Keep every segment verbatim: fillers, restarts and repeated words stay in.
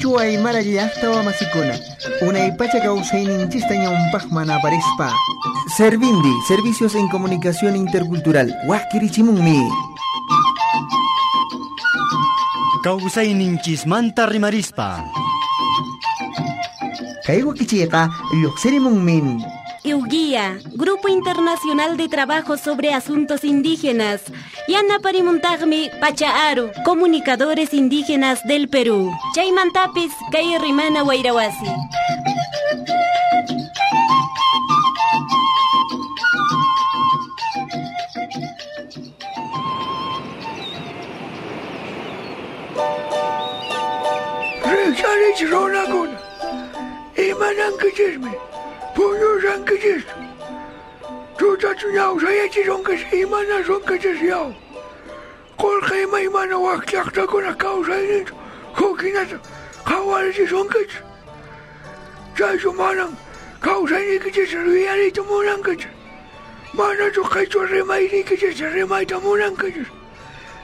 Qhichwa Aymara llaqta wamasikuna, unay pacha kawsayninchista ñawpaqman aparispa. Servindi, Servicios en Comunicación Intercultural, waqkirichimunmi. Kawsayninchismanta rimarispa. Kay wakichiyqa lluqsirimunmin. Euguía, Grupo Internacional de Trabajo sobre Asuntos Indígenas. Yanaparimuntaqmi Pachaaru, Comunicadores Indígenas del Perú. Chaymantapis, kay Rimana Wayrawasi. Rikcharich runakuna, imanankichismi, puñushankichischu, tutachu ñawsayachisunkichis, imanasunkichis yaw. Qolqe imaymana wak llaqtakuna kawsayninchu huk hinata qhawarichisunkichis. Chaychu manan kawsayniykichis yuyariyta munankichis. Manachu qhichwa rimayniykichis rimayta munankichis.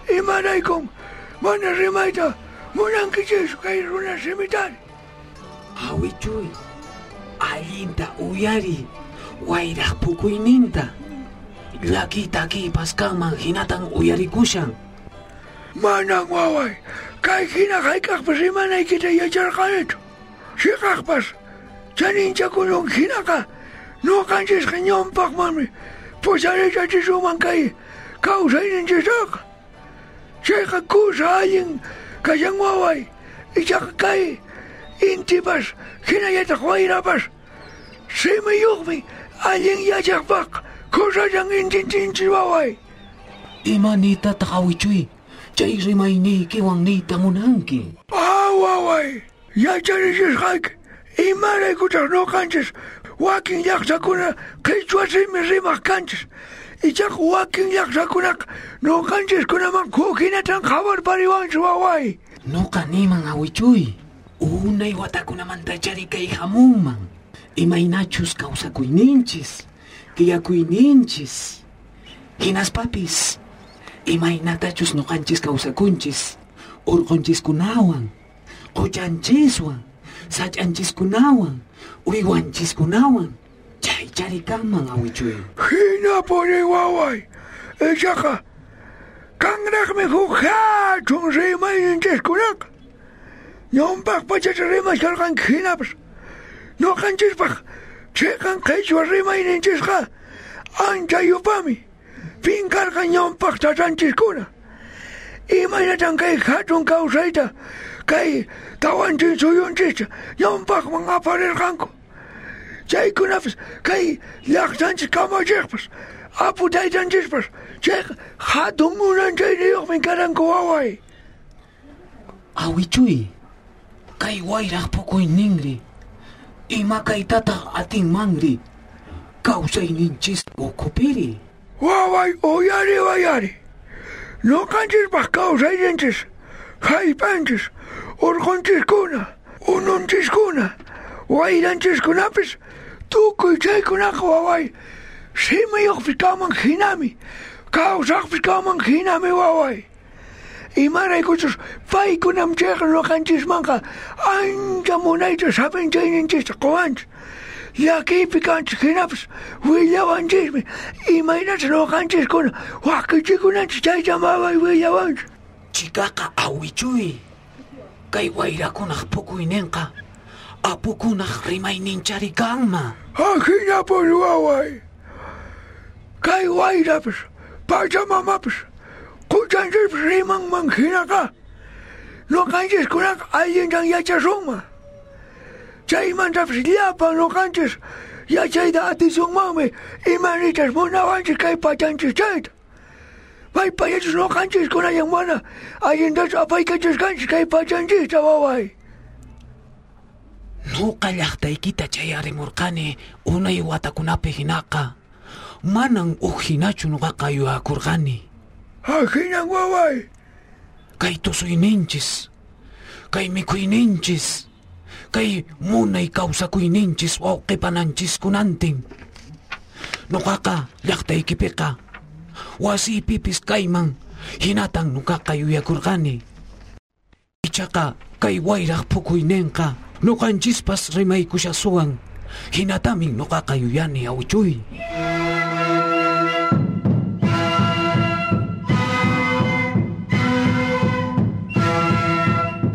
Imaraykun mana rimayta munankichischu kay runa simitari. Awichuy, allinta uyari, wayraq pukuyninta. Llaki takipas kanman hinatan uyarikushan. Manan waway, kay hina hayk'aqpas rimanaykita yacharqanichu. Chiqaqpas chaninchakunun hinaqa ñuqanchisqa ñawpaqmanmi pusarichachisuman kay kawsayninchistaqa. Chayqa kusa allin kashan waway, ichaqa kay intipas hinallataq wayrapas simiyuqmi allin yachaqpaq kusallan intintinchis waway. Ima nitataq awichuy, chay rimayniykiwan niyta munanki. Ah, waway, yacharichisqayki imaraykutaq ñuqanchis wakin llaqtakuna qhichwa simi rimaq kanchis. Ichaqa wakin llaqtakunaqa ñuqanchiskunaman huk hinatan qhawarpariwanchis waway. Nuqa niman awichuy, unay watakunamantachari kay hamunman. Imaynachus kawsakuyninchis, tiyakuyninchis, hinaspapis, imaynatachus ñuqanchis kawsakunchis, urqunchiskunawan, quchanchiswan, sach'anchiskunawan, uywanchiskunawan, chaychari kanman awichuy. Hinapuni waway, ichaqa kanraqmi huk hatun rimayninchiskunaqa. Ñawpaq pachacha rimashkarqanki hinapas ñuqanchispaq chiqan qhichwa rimayninchisqa ancha yupami pinkarqa ñawpaq tatanchiskuna. Imaynatan kay hatun kawsayta kay tawanchin suyunchista ñawpaqman aparirqanku. Chaykunapas kay llaqtanchis kamachiqpas apu taytanchispas chayqa hatun munanchayniyuqmi karanku waway. Awichuy, kay wayraq pukuyninri, ima kaytataq atinmanri, kawsayninchis ukhupiri. Waway, uyari wayari. Ñuqanchispaq kawsayninchis, hallp'anchis, urqunchiskuna, ununchiskuna, wayranchiskunapis tukuy chaykunaqa waway simiyuqpis kanman hinami, kawsaqpis kanman hinami waway. Imaraykuchus paykunam chayqa ñuqanchismanqa ancha munayta sapinchayninchista quwanchis. Llakiypi kanchis hinapas willawanchismi imaynata ñuqanchiskuna wakichikunanchis chaytam waway willawanchis. Chikaqa awichuy, kay wayrakunaq pukuyninqa apukunaq rimayninchari kanman. Ahinapuni waway. Kay wayrapas, pachamamapas, quchanchispas rimanman hinaqa ñuqanchiskunaqa allintan yachasunman. Chaymantapas llapan ñuqanchis yachayta atisunmanmi imanitas munawanchis kay pachanchis chayta. Maypachachus ñuqanchiskunayan mana allintachu apaykachasqanchis kay pachanchista waway. Nuqa llaqtaykita chayarimurqani unay watakunapi hinaqa manan uj hinachu nuqaqa yuyakurqani. Ahinan waway. Kay tusuyninchis, kay mikuyninchis, kay munay kawsakuyninchis wawqipananchiskunantin. Nuqaqa llaqtaykipiqa wasiypipis kayman hinatan nuqaqa yuyakurqani. Ichaqa kay wayraq phukuyninqa nuqanchispas rimaykushasuwan. Hinatamin nuqaqa yuyani awichuy.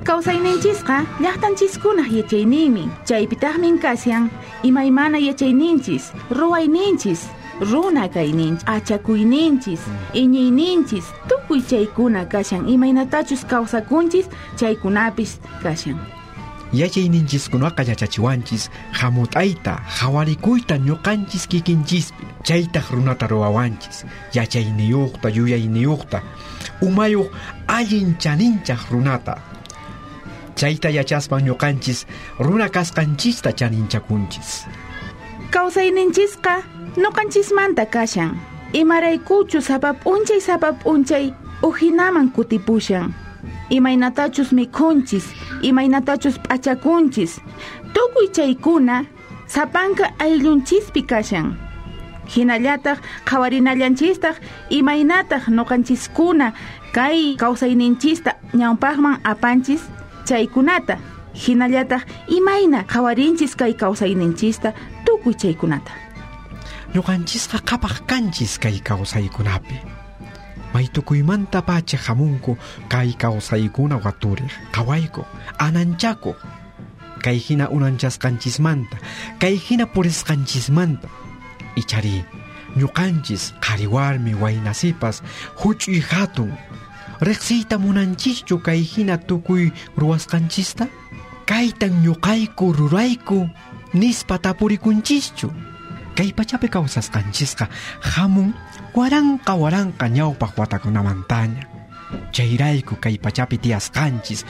Kawsayninchisqa llaqtanchiskunaq yachayninmi. Chaypitaqmin kashan imaymana yachayninchis, ruwayninchis, runa kayninchis, achakuyninchis, iñiyninchis, tukuy chaykuna kashan imaynatachus kawsakunchis chaykunapis kashan. Yachayninchiskunaqa yachachiwanchis hamut'ayta, hawarikuyta ñuqanchis kikinchispi, chaytaq runata ruwawanchis, yachayniyuqta, yuyayniyuqta, umayuq allin chaninchaq runata. Chayta yachaspa ñuqanchis runa kasqanchista chaninchakunchis. Kawsayninchisqa ñuqanchismanta kashan. Imaraykuchu sapa p'unchay sapa p'unchay ujinaman kutipushan. Imaynatachus mikhunchis, imaynatachus p'achakunchis, tukuy chaykuna sapanka ayllunchispi kashan. Hinallataq qhawarinallanchistaq imaynataq ñuqanchiskuna kay kawsayninchista ñawpaqman apanchis chaykunata. Hinallataq imayna qhawarinchis kay kawsayninchista tukuy chaykunata. Ñuqanchisqa qhapaq kanchis kay kawsaykunapi. Maytukuymanta pacha hamunku kay kawsaykuna waturiq, qhawaykuq, ananchakuq. Kay hina unanchasqanchismanta, kay hina purisqanchismanta. Ichari, ñuqanchis qhari warmi waynasipas huch'uy hatun. Riqsiyta munanchischu kay hina tukuy ruwasqanchista? Kaytan ñuqayku rurayku nispa tapurikunchischu. Kay pachapi kawsasqanchisqa hamun waranqa waranqa ñawpaq watakunamantaña. Chayrayku kay pachapi tiyasqanchis,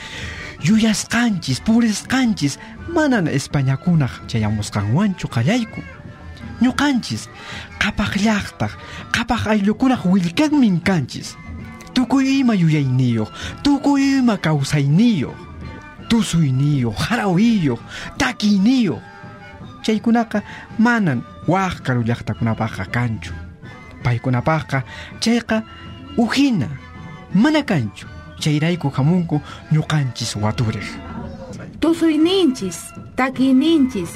yuyasqanchis, purisqanchis manan Españakunaq chayamusqanwanchu qallayku. Ñuqanchis qhapaq llaqtaq, qhapaq ayllukunaq willkanmin kanchis. Tukuy ima yuyayniyuq, tukuy ima kawsayniyuq, tusuyniyuq, harawiyuq, takiyniyuq. Chaykunaqa manan waq karu llaqtakunapaqqa kanchu. Paykunapaqqa chayqa ujina mana kanchu. Chayrayku hamunku ñuqanchis waturiq. Tusuyninchis, takiyninchis,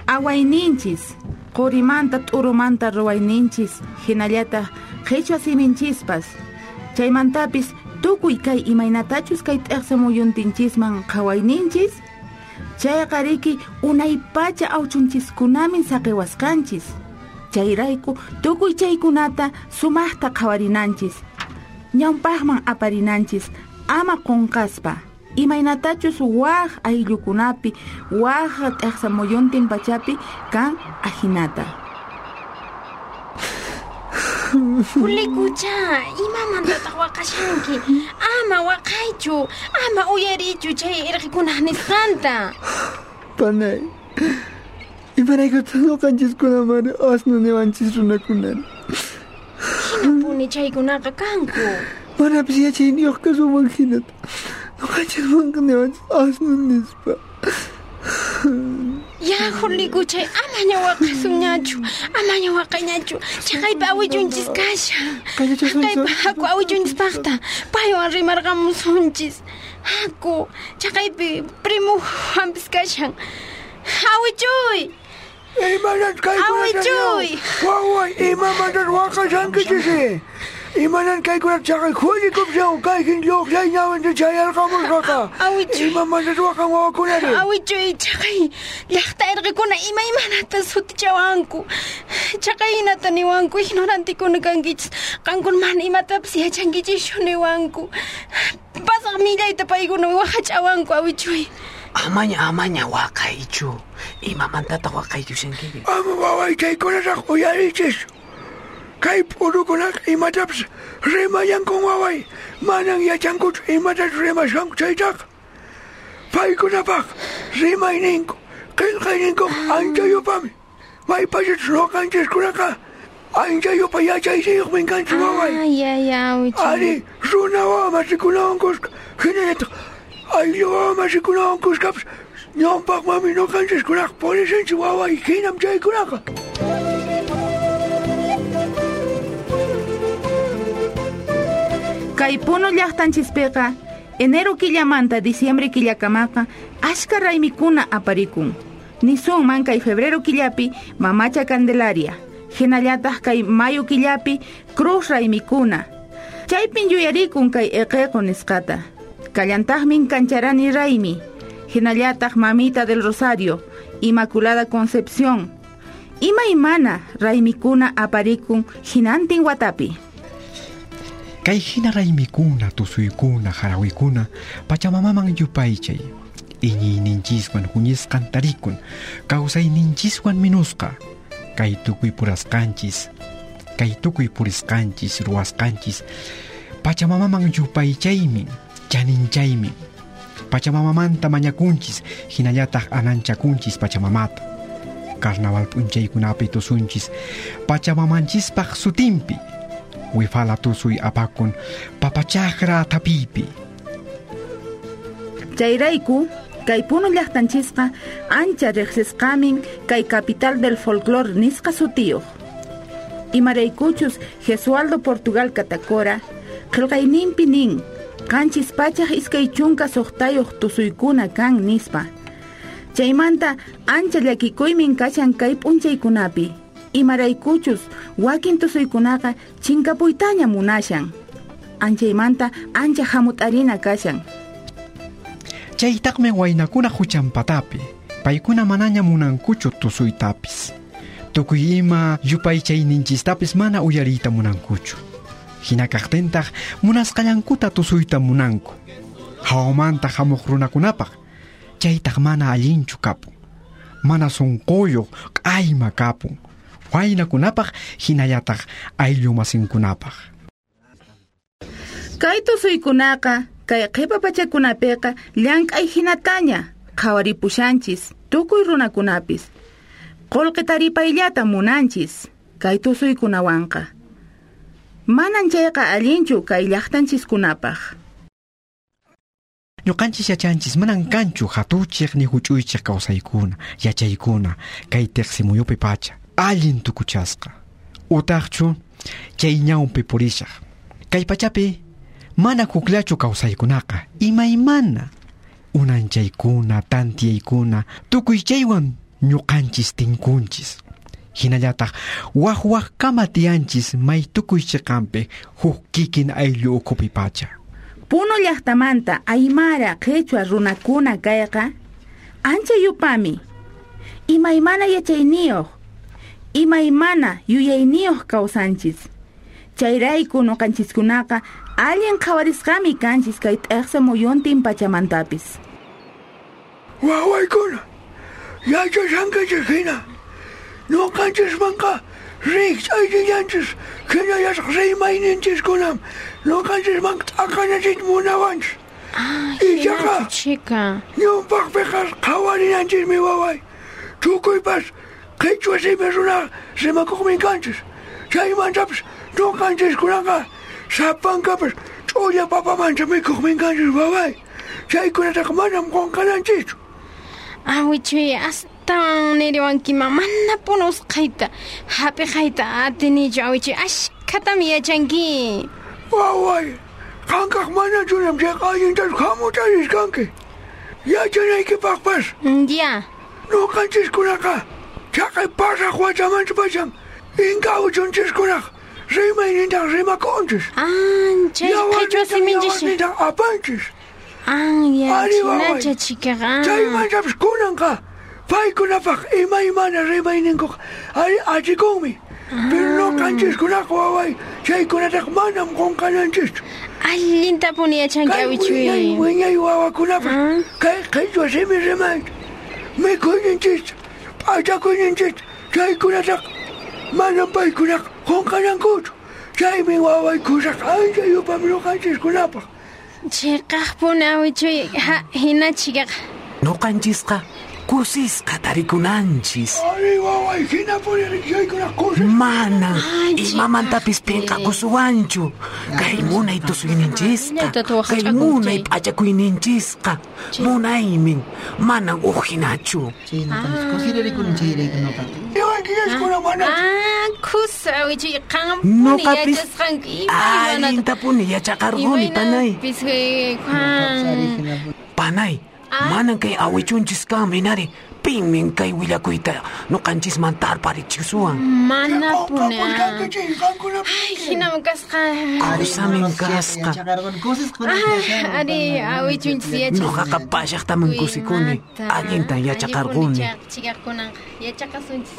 awayninchis, qurimanta t'urumanta ruwayninchis, hinallataq qhichwa siminchispas. Chaymantapis tukuy kay imaynatachus kay t'eqsa muyuntinchisman qhawayninchis, chayqa riki unaypacha awchunchiskunamin saqiwasqanchis. Chayrayku tukuy chaykunata sumaqta qhawarinanchis, ñawpaqman aparinanchis, ama qunqaspa. Imaynatachus waq ayllukunapi, waq t'eqsa muyuntin pachapi kan ajinata. Julikucha, imamantataq waqashanki? Ama waqaychu, ama uyarichu chay irqikunaq nisqanta. Panay, imaraykutaq ñuqanchiskunamari asnu niwanchis runakunari? Hinapuni chaykunaqa kanku. Manapis yachayniyuq kasunman hinata ñuqanchismanqa niwanchis asnu nispa. Ya, Julikuchay, amaña waqasunñachu, amaña waqayñachu. Chaqaypa awichunchis kashan. Chaqaypa haku awichunchispaqta, paywan rimarqamusunchis. Haku, chaqaypi primo Juanpis kashan. Awichuy! Imanan kaykunata Awichuy! Waway, imamantas waqashankichis? Imanan kaykunata chaqay Julikupshaw kayhin lluqlay ñawinta chayarqamusqaqa. Awichuy. Imamantas waqan wawakunari? Awichuy, chaqay llaqta irqikuna imaymanata sutichawanku. Chaqay hinata niwanku, ignorantikuna kankichis. Qankuna mana imatapas yachankichischu niwanku. Pasaq millayta paykuna waqach'awanku, awichuy. Amaña, amaña waqaychu. Imamantataq waqaykushankiri? Ama waway chaykunataq uyarichis. Kay p'urukunaqa imatapas rimallankun waway. Manan yachankuchu imatachus rimashanku chaytaqa. Paykunapaq rimayninku, qillqayninku ancha yupami. Maypachachus ñuqanchiskunaqa ancha yupa yachayniyuqmin kanchis waway. Ay, ay, awichuy. Ari, runa wawa masikunawan kuska, hinallataq ayllu wawa masikunawan kuskapas ñawpaqmanmi ñuqanchiskunaqa purishanchis waway, hinam chaykunaqa. Kay Puno llaqtanchispiqa Enero killamanta diciembre killakamaqa ashka raymikuna aparikun. Nisunman kay febrero killapi Mamacha Candelaria, hinallataq kay mayo killapi Cruz raymikuna. Chaypin yuyarikun kay eqeqo nisqata. Kallantaqmin Kancharani raymi, hinallataq Mamita del Rosario, Inmaculada Concepción. Imaymana raymikuna aparikun hinantin watapi. Kay hina raymikuna, tusuykuna, harawikuna, pachamamaman yupaychay. Iñiyninchiswan huñisqan tarikun, kawsayninchiswan minusqa. Kay tukuy purasqanchis, kay tukuy purisqanchis, ruwasqanchis, pachamamaman yupaychaymin, chaninchaymin. Pachamamamanta mañakunchis, hinallataq ananchakunchis pachamamata. Carnaval p'unchaykunapi tusunchis, pachamamanchispaq sutinpi. Wifala tusuy apakun, papachaqra tapiypi. Chayrayku, kay Puno llaqtanchisqa ancha riqsisqamin kay capital del folclor nisqa sutiyuq. Imaraykuchus Jesualdo Portugal Catacora qillqayninpi nin qanchis pachaq iskay chunka suqtayuq tusuykuna kan nispa. Chaymanta ancha llakikuymin kashan kay p'unchaykunapi. Imaraykuchus wakin tusuykunaqa chinkapuytaña munashan. Anchaymanta ancha hamut'arina kashan. Chaytaqmi waynakuna huchanpatapi, paykuna manaña munankuchu tusuytapis. Tukuy ima yupaychayninchistapis mana uyariyta munankuchu. Hina kaqtintaq munasqallankuta tusuyta munanku. Hawamanta hamuq runakunapaq, chaytaq mana allinchu kapun. Mana sunquyuq q'ayma kapun. Waynakunapaq hinallataq ayllu masinkunapaq. Kay tusuykunaqa kay qhipa pachakunapiqa llank'ay hinataña qhawaripushanchis tukuy runakunapis. Qullqi taripayllata munanchis kay tusuykunawanqa. Manan chayqa allinchu kay llaqtanchiskunapaq. Ñuqanchis yachanchis manan kanchu hatuchiq ni huch'uychiq kawsaykuna, yachaykuna kay tiqsimuyupi pacha. Allin tukuchasqa. Utaqchu chay ñawpi purishaq. Kay pachapi mana hukllachu kawsaykunaqa, imaymana. Unanchaykuna, tantiyaykuna, tukuy chaywan ñuqanchis tinkunchis. Hinallataq waq waqkama tiyanchis may tukuy chiqanpi huk kikin ayllu ukhupi pacha. Puno llaqtamanta aymara qhichwa runakuna kayqa ancha yupami. Imaymana yachayniyuq, imaymana yuyayniyuq kawsanchis. Chayrayku nuqanchiskunaqa allin qhawarisqami kanchis kay t'eqsa muyuntin pachamantapis. Wawaykuna, yachashankichis hina, nuqanchismanqa rikch'ayllallanchis hinallataq rimayninchiskunam nuqanchismanqa t'aqanachiyta munawanchis. Ichaqa chika ñawpaqpiqa qhawarinanchismi waway. Tukuypas qhichwa simi runa rimakuqmi kanchis. Chaymantapis nuqanchiskunaqa sapankapas ch'ulla papamanta mikhuqmi kanchis waway. Chaykunataqa manam qunqananchischu. Awichuy, astawan niriwankima mana puno usqhayta hap'iqayta atinichu awichuy, ashkhatami yachanki. Waway, qankaq manachunam chayqa allintachu hamut'arisqanki. Yachanaykipaqpas. Ya. Nuqanchiskunaqa chaqay pasaq watamanta pacham inka awichunchiskunaq rimaynintaq rimakunchis. Ah, chay qhichwa siminchis. Yawarnintaq apanchis. Ah, ya, chinacha chikaqa. Chaymantapis kunanqa paykunapaq imaymana rimayninkuqa ari achikunmi. Pero nuqanchiskunaqa waway chaykunataqa manam qunqananchischu. Allintapuni yachanki awichuy. Wiñay wiñay wawakunapas kay qhichwa simi rimayta mikhuyninchista p'achakuyninchista chaykunataqa manam paykunaqa qunqanankuchu. Chaymi waway kusaq ancha yupami nuqanchiskunapaq. Chiqaqpuni awichuy, ha, hina chikaqa. Nuqanchisqa kusisqa tarikunanchis. Ari waway, hinapuni chaykuna kusis. Manan imamantapis pinqakusuwanchu. Kay munay tusuyninchisqa, kay munay p'achakuyninchisqa, munaymin, manan uq hinachu. Chay nuqanchis kusirarikuni chayrayku nuqaqa. Yachankichis mana. Ah, kusa awichuy qanpuni yachasqanki allintapuni yachaqarquni panay. Panay, manan kay awichunchis kan minari pinmin kay willakuyta nuqanchisman tarparichisuwan. Manapuni. Ay, hinam kasqa. Kusamin kasqa. Ari awichunchis yachaq. Nuqaqa pallaqtaman kusikuni. Allintan yachaqarquni. Chikaqkunanqa yachaqasunchis.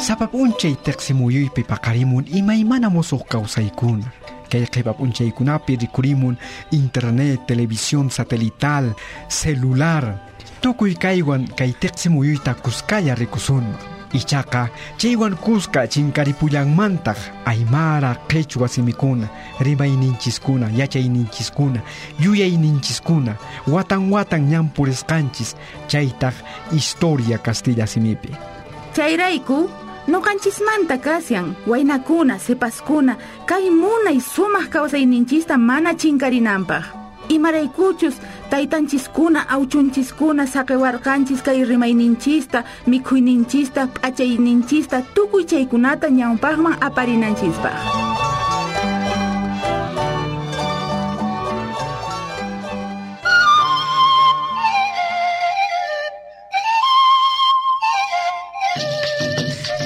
Sapa p'unchay tiqsimuyuypi paqarimun imaymana musuq kawsaykuna. Kay qhipa p'unchaykunapi rikurimun internet, televisión satelital, celular. Tukuy kaywan kay tiqsimuyuyta kuskalla rikusunman. Ichaqa chaywan kuska chinkaripullanmantaq aymara qhichwa simikuna, rimayninchiskuna, yachayninchiskuna, yuyayninchiskuna, watan watan ñan purisqanchis, chaytaq historia castilla simipi. Chayrayku nuqanchismanta kasyan waynakuna, sipaskuna, kay munay sumaq kawsayninchista mana chinkarinanpaq. Imaraykuchus taytanchiskuna, awchunchiskuna saqiwarqanchis kay rimayninchista, mikhuyninchista, p'achayninchista, tukuy chaykunata ñawpaqman aparinanchispaq.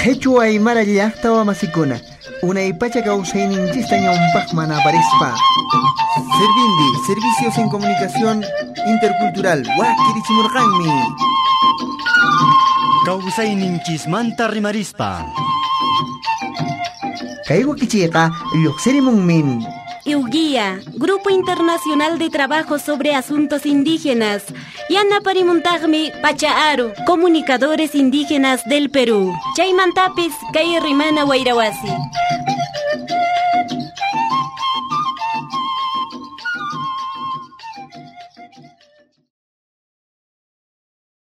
Qhichwa aymara llaqta wamasikuna, unaypacha kawsayninchista ñawpaqman aparispa. Servindi, servicios en comunicación intercultural, wakirichimurqanmi. Kawsayninchismanta rimarispa. Kay wakichiqa lluqsirimunmin. IUGIA, Grupo Internacional de Trabajo sobre Asuntos Indígenas. Yanaparimuntaqmi Pachaaru, Comunicadores Indígenas del Perú. Chaymantapis kay Rimana Wayrawasi.